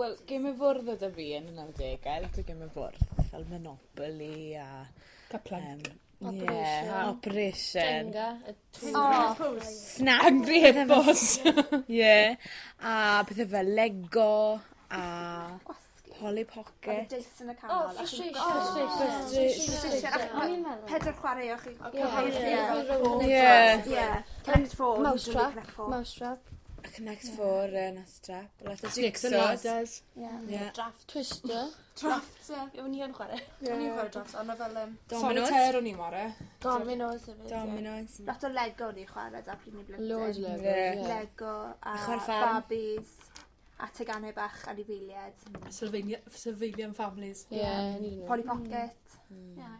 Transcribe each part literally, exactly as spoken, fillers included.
Wel, gemau fwrdd oedd y fi yn y nawdegau, lot o gemau fwrdd, fel Monopoly a Kerplunk. Um, yeah, Operation. Jenga. Y Oh. Snap. Angry Hippos. Yeah. A pethau fel Lego a Gwasgu. Polly Oedd y Pocket. Jason y Oh, canol. a chi'n Frustration. gwasgu. Frustration. Frustration. O'n i'n meddwl. Pedwar chwarae o'ch chi. Ie. Ie. Ie. Connect Four. Mousetrap. Connect Four. Mousetrap. Connect Four, uh, Mousetrap. Lot o Snakes and jigsaws. Ladders. Ie. Yeah. Draft. Twister. Drafts, ie. O'n i yn chwarae. O'n i'n chwarae drafts, ond fel um, Dominoes. Solitaire o'n i'n chwarae. Dominoes hefyd. ie. Dominoes. Lot o Lego ni chwarae da pryd ni blentyn. Loads o Legos, Ie. ie. Lego a Chwarae ffarm. Barbies a teganau bach anifeiliaid. Sylvania, Sylvanian Families. Ie, ni dyn nhw. Polly Pocket. Ie, ie.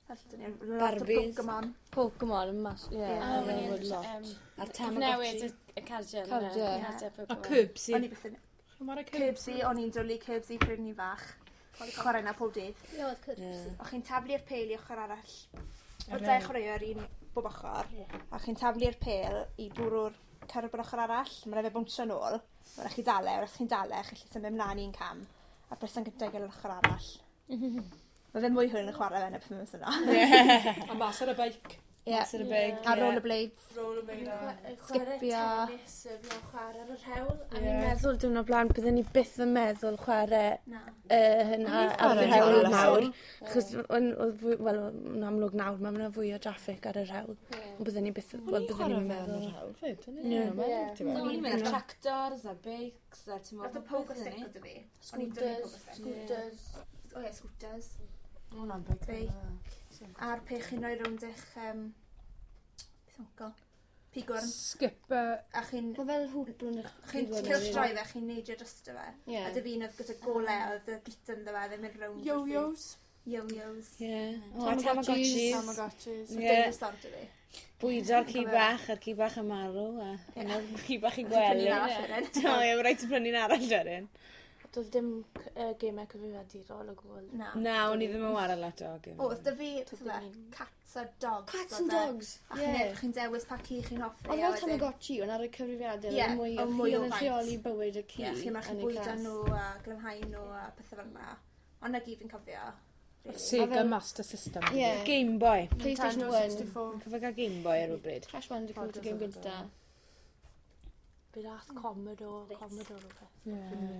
Lot o Barbies. Pokemon. Pokemon yn mas, ie. Ie. Oh, O'n yeah, lot. A'r Newid Tamagotchi. y y cardiau. Cardiau. Cardiau A Pokemon. Curbsy. O'n i byth yn... Chi'n chwarae Curbsy? Curbsy, o'n i'n dwlu Curbsy pryd ni'n fach. Chwarae na pob dydd. Ie, oedd Curbsy. Ie. O chi'n taflu'r pêl i ochr arall. Oedd dau chwaraewr un bob ochr. A chi'n taflu'r pêl i bwrw'r cyrb yr ochr arall. Mae'n rhaid fe bwnsio nôl. Mae'n rhaid chi dale, os chi'n dale, chi'n gallu symud mlaen un cam. A person gyntaf gael yr ochr arall. Mae fe mwy hwyl yn chwarae fe na beth mae'n yna. A mas ar y beic. Ie. Mas ar y beic. A rollerblades. Rollerblade. Sgipio. Tennis, fi'n chwarae ar yr hewl. A Ie. ni'n meddwl diwrnod blaen, byddwn ni byth yn meddwl chwarae Na. uh, hynna ar yr chwarae hewl hewl nawr. Achos, o'n- oedd fwy- wel, yn amlwg nawr, mae yna fwy o traffic ar yr hewl. Ond byddwn ni byth, wel, byddwn ni'n meddwl. Hewl fyd. O'n Ie. i'n meddwl. O'n i'n mynd ar tractors a beics a ti'n Lot o pogo stick oedd fi. O'n i'n dwlu pogo stick. Scooters. O ie, scooters. Hwnna'n big. Beic. A'r peth chi'n rhoi rownd eich... Um, beth o'n go? Pigwrn. Skipper. A chi'n... Mae fel hwp rownd eich Chi'n cylchdroi fe, chi'n neidio drosto fe. Ie. A dy fi'n oedd gyda gole, oedd y glitter ynddo fe, ddim yn rownd. Yo-yos. Yo-yos. Ie. O, a Tamagotchis. Tamagotchis. Ie. Dinosaur dy fi. Bwydo'r ci bach, a'r ci bach yn marw, a yna'r ci bach i gwely. Prynu'n arall wedyn. O, ie, mae rhaid ti prynu'n arall wedyn. Doedd dim uh, gemau cyfrifiadurol o gwbl. Na. Na, o'n i ddim yn wara lot o gemau. O, oedd dy fi, beth oedd e, cats a dogs. Cats oedd and e. dogs. A chi'n Ie. chi'n dewis pa ci chi'n hoffi. Oedd a fel wedyn- Tamagotchi, ond ar y cyfrifiadur, Ie, oedd mwy o oedd mwy chi o oedd yn faint. rheoli bywyd y ci. Ie, chi'n marchu yn y bwydo cas. nhw a glanhau nhw a pethau fel yna. Ond na gyd fi'n cofio. really. Sega A fel- Master System. Ie. Game Boy. PlayStation Nintendo one. sixty-four. Cofio gael Game Boy ar rhywbryd. Crash Bandicoot, y game gynta. Bydd ath Commodore, Commodore rhywbeth. Ie.